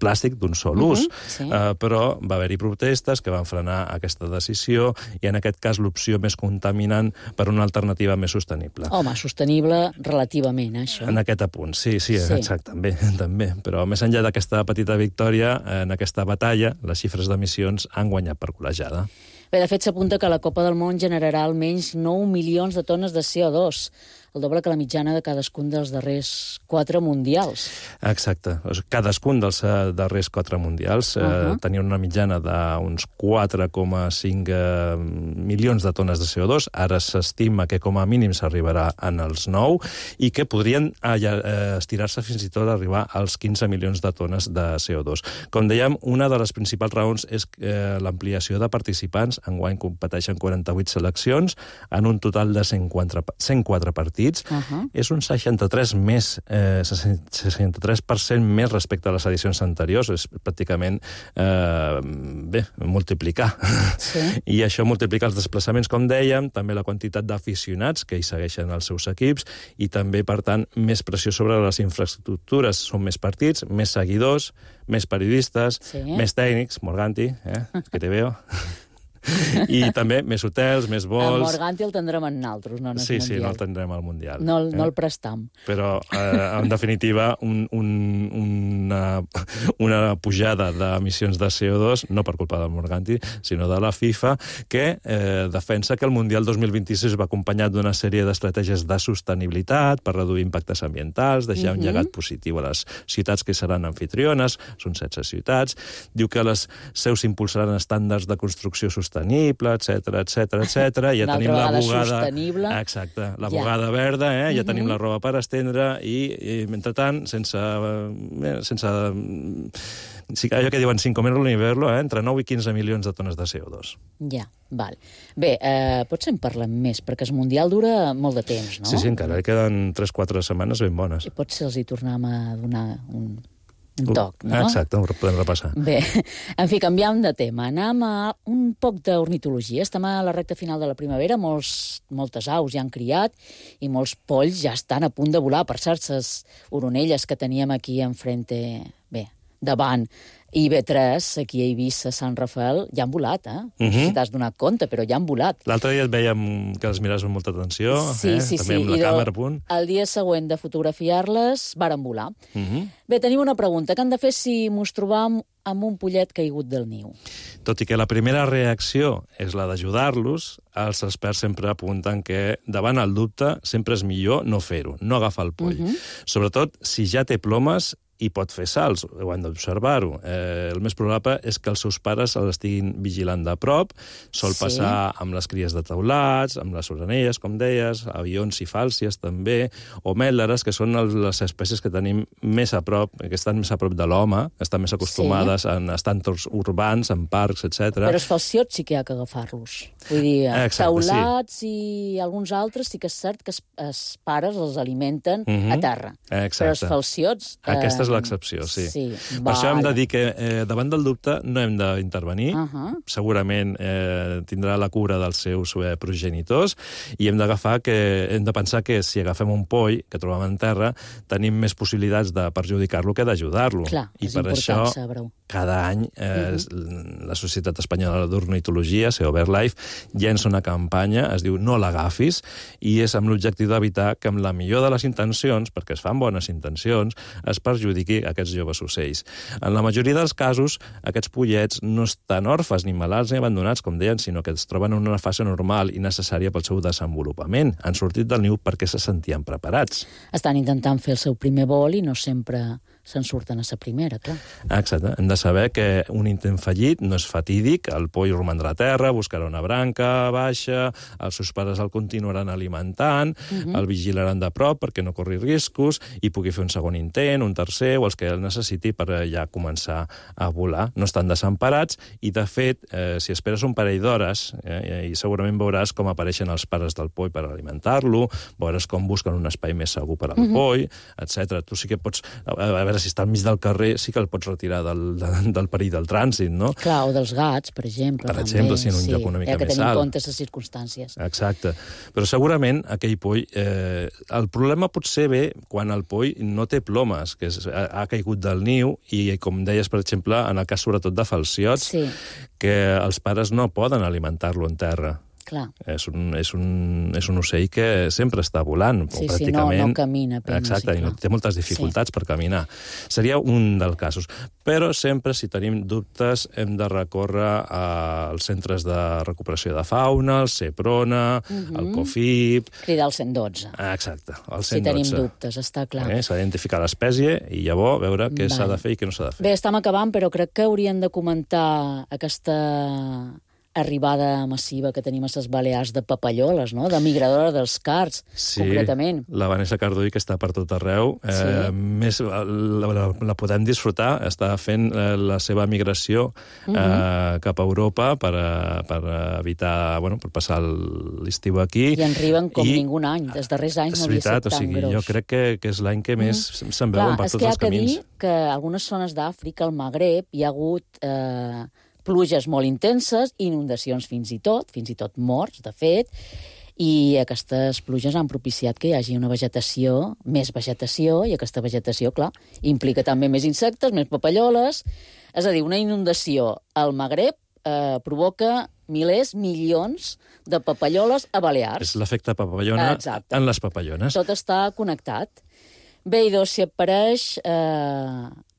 plàstic d'un sol ús. Però va haver-hi protestes que van frenar aquesta decisió, i en aquest cas l'opció més contaminant per una alternativa més sostenible. Home, sostenible relativament, això. En aquest punt, sí, exacte, també. Però més enllà d'aquesta petita victòria, en aquesta batalla, les xifres d'emissions han guanyat per golejada. Bé, de fet, s'apunta que la Copa del Món generarà almenys 9 milions de tones de CO2, el doble que la mitjana de cadascun dels darrers 4 mundials. Exacte. Cadascun dels darrers 4 mundials tenia una mitjana d'uns 4,5 milions de tones de CO2. Ara s'estima que com a mínim s'arribarà en els 9 i que podrien estirar-se fins i tot a arribar als 15 milions de tones de CO2. Com dèiem, una de les principals raons és l'ampliació de participants. Enguany competeixen 48 seleccions en un total de 104 partits. És un 63% més respecte a les edicions anteriors. És pràcticament, multiplicar. I això multiplica els desplaçaments, com dèiem, també la quantitat d'aficionats que hi segueixen els seus equips, i també, per tant, més pressió sobre les infraestructures. Són més partits, més seguidors, més periodistes, més tècnics, Morganti, que te veo... I també més hotels, més vols... El Morganti el tindrem en naltros, no en el Mundial. Sí, no el tindrem al Mundial. No el prestam. Però, en definitiva, una pujada d'emissions de CO2, no per culpa del Morganti, sinó de la FIFA, que defensa que el Mundial 2026 va acompanyat d'una sèrie d'estratègies de sostenibilitat per reduir impactes ambientals, deixar un llegat positiu a les ciutats que seran anfitriones, són 16 ciutats. Diu que les seus impulsaran estàndards de construcció sostenible, etc. Ja tenim la bugada... Exacte, la bugada verda, ja tenim la roba per estendre, i mentrestant, sense allò que diuen 5 comerlo l'hiverlo, entre 9 i 15 milions de tones de CO2. Ja, val. Bé, potser en parlem més, perquè el Mundial dura molt de temps, no? Sí, encara queden 3-4 setmanes ben bones. I potser els hi tornem a donar un toc, no? Exacte, ho podem repassar. Bé, en fi, canviant de tema. Anem a un poc d'ornitologia. Estem a la recta final de la primavera, moltes aus ja han criat i molts polls ja estan a punt de volar. Per cert, les oronelles que teníem aquí enfrente... Bé, davant IB3, aquí a Eivissa, Sant Rafael, ja han volat, No sé si t'has donat compte, però ja han volat. L'altre dia et vèiem que les miraves amb molta atenció, Sí. també amb la càmera a punt. El dia següent de fotografiar-les, varen volar. Bé, tenim una pregunta. Què han de fer si mos trobam amb un pollet caigut del niu? Tot i que la primera reacció és la d'ajudar-los, els experts sempre apunten que davant el dubte sempre és millor no fer-ho, no agafar el poll. Sobretot si ja té plomes i pot fer salts, ho han d'observar-ho. El més probable és que els seus pares l'estiguin vigilant de prop. Sol passar amb les cries de teulats, amb les orenelles, com deies, avions i fàlcies també, o mèlderes, que són les espècies que tenim més a prop, que estan més a prop de l'home, estan més acostumades a estar en entorns urbans, en parcs, etc. Però els falciots sí que hi ha que agafar-los. Vull dir, teulats i alguns altres sí que és cert que els pares els alimenten a terra. Però els falciots... Aquesta és l'excepció, sí. Per això hem de dir que davant del dubte no hem d'intervenir. Segurament tindrà la cura dels seus progenitors i hem de pensar que si agafem un poll que trobem en terra, tenim més possibilitats de perjudicar-lo que d'ajudar-lo. I per això, cada any, la Societat Espanyola d'Ornitologia, CEO BirdLife, llença una campanya, es diu No l'agafis, i és amb l'objectiu d'evitar que amb la millor de les intencions, perquè es fan bones intencions, es perjudiqui aquests joves ocells. En la majoria dels casos, aquests pollets no estan orfes, ni malalts ni abandonats, com deien, sinó que es troben en una fase normal i necessària pel seu desenvolupament. Han sortit del niu perquè se sentien preparats. Estan intentant fer el seu primer vol i no sempre se'n surten a la primera, clar. Exacte. Hem de saber que un intent fallit no és fatídic, el poll romandrà a terra, buscarà una branca baixa, els seus pares el continuaran alimentant, el vigilaran de prop perquè no corri riscos i pugui fer un segon intent, un tercer, o els que el necessiti per ja començar a volar. No estan desemparats i, de fet, si esperes un parell d'hores, i segurament veuràs com apareixen els pares del poll per alimentar-lo, veuràs com busquen un espai més segur per al poll, etc. Tu sí que pots... A veure, si està al mig del carrer, sí que el pots retirar del perill del trànsit, no? Clar, o dels gats, per exemple. Per exemple, si en un lloc una mica més alt. Que tenir en compte les circumstàncies. Exacte. Però segurament aquell poll... El problema pot ser bé quan el poll no té plomes, que ha caigut del niu, i com deies, per exemple, en el cas sobretot de falciots, que els pares no poden alimentar-lo en terra. Clar. És un ocell que sempre està volant, pràcticament. No camina. Exacte, i té moltes dificultats per caminar. Seria un dels casos. Però sempre, si tenim dubtes, hem de recórrer als centres de recuperació de fauna, el CEPRONA, el COFIP... Cridar el 112. Exacte, el 112. Si tenim dubtes, està clar. S'ha d'identificar l'espècie i llavors veure què s'ha de fer i què no s'ha de fer. Bé, estem acabant, però crec que hauríem de comentar aquesta arribada massiva que tenim a les Balears de papalloles, no? De migradora dels cards, concretament. La Vanessa Cardull, que està per tot arreu, més la podem disfrutar, està fent la seva migració cap a Europa per evitar, per passar l'estiu aquí. I en arriben com ningú any, dels darrers anys no havia estat tan gros. Jo crec que és l'any que més se'n veuen per tots els camins. És que hi ha que dir que a algunes zones d'Àfrica, al Magreb, hi ha hagut pluges molt intenses, inundacions fins i tot morts, de fet, i aquestes pluges han propiciat que hi hagi una vegetació, més vegetació, i aquesta vegetació, clar, implica també més insectes, més papalloles. És a dir, una inundació al Magreb provoca milions de papalloles a Balears. És l'efecte papallona en les papallones. Tot està connectat. Bé, i si et pareix...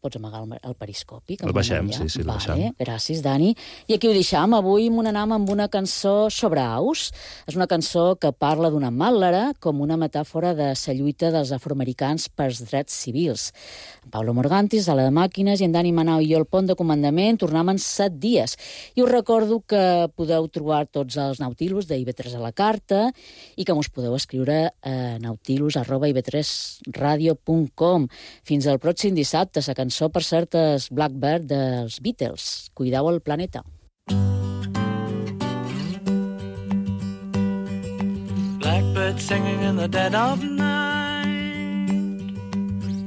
Pots amagar el periscopi? El baixem, sí, el baixem. Gràcies, Dani. I aquí ho deixam. Avui m'anam amb una cançó sobre aus. És una cançó que parla d'una màlera com una metàfora de la lluita dels afroamericans pels drets civils. En Pablo Morgantis, a la de màquines, i en Dani Manau i jo al pont de comandament tornem en 7 dies. I us recordo que podeu trobar tots els Nautilus de IB3 a la carta i que us podeu escriure a nautilus@ib3radio.com. Fins al pròxim dissabte. La cançó, per cert, és Blackbird dels Beatles. Cuideu el planeta. Blackbird singing in the dead of night.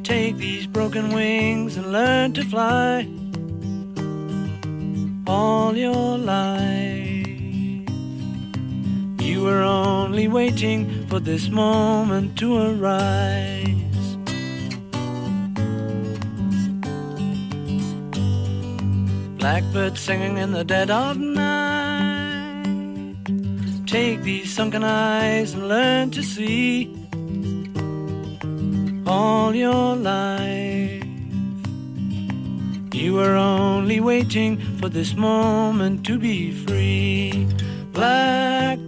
Take these broken wings and learn to fly. All your life you were only waiting for this moment to arise. Blackbird singing in the dead of night. Take these sunken eyes and learn to see. All your life you were only waiting for this moment to be free. Blackbird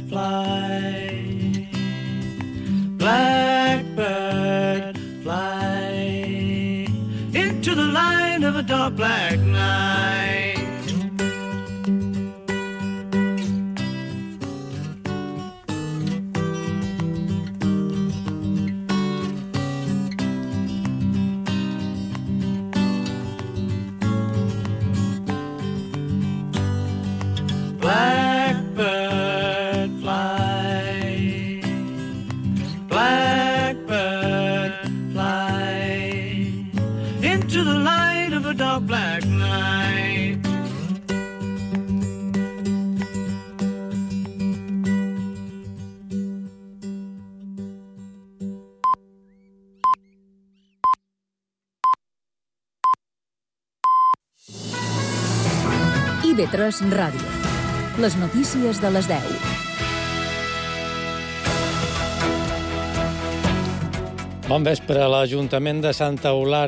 fly, blackbird fly into the light of a dark black night. Blackbird fly, blackbird fly into the light of a dark black night. IB3 Ràdio. Les notícies de les 10. Bon vespre. L'Ajuntament de Santa Eulàlia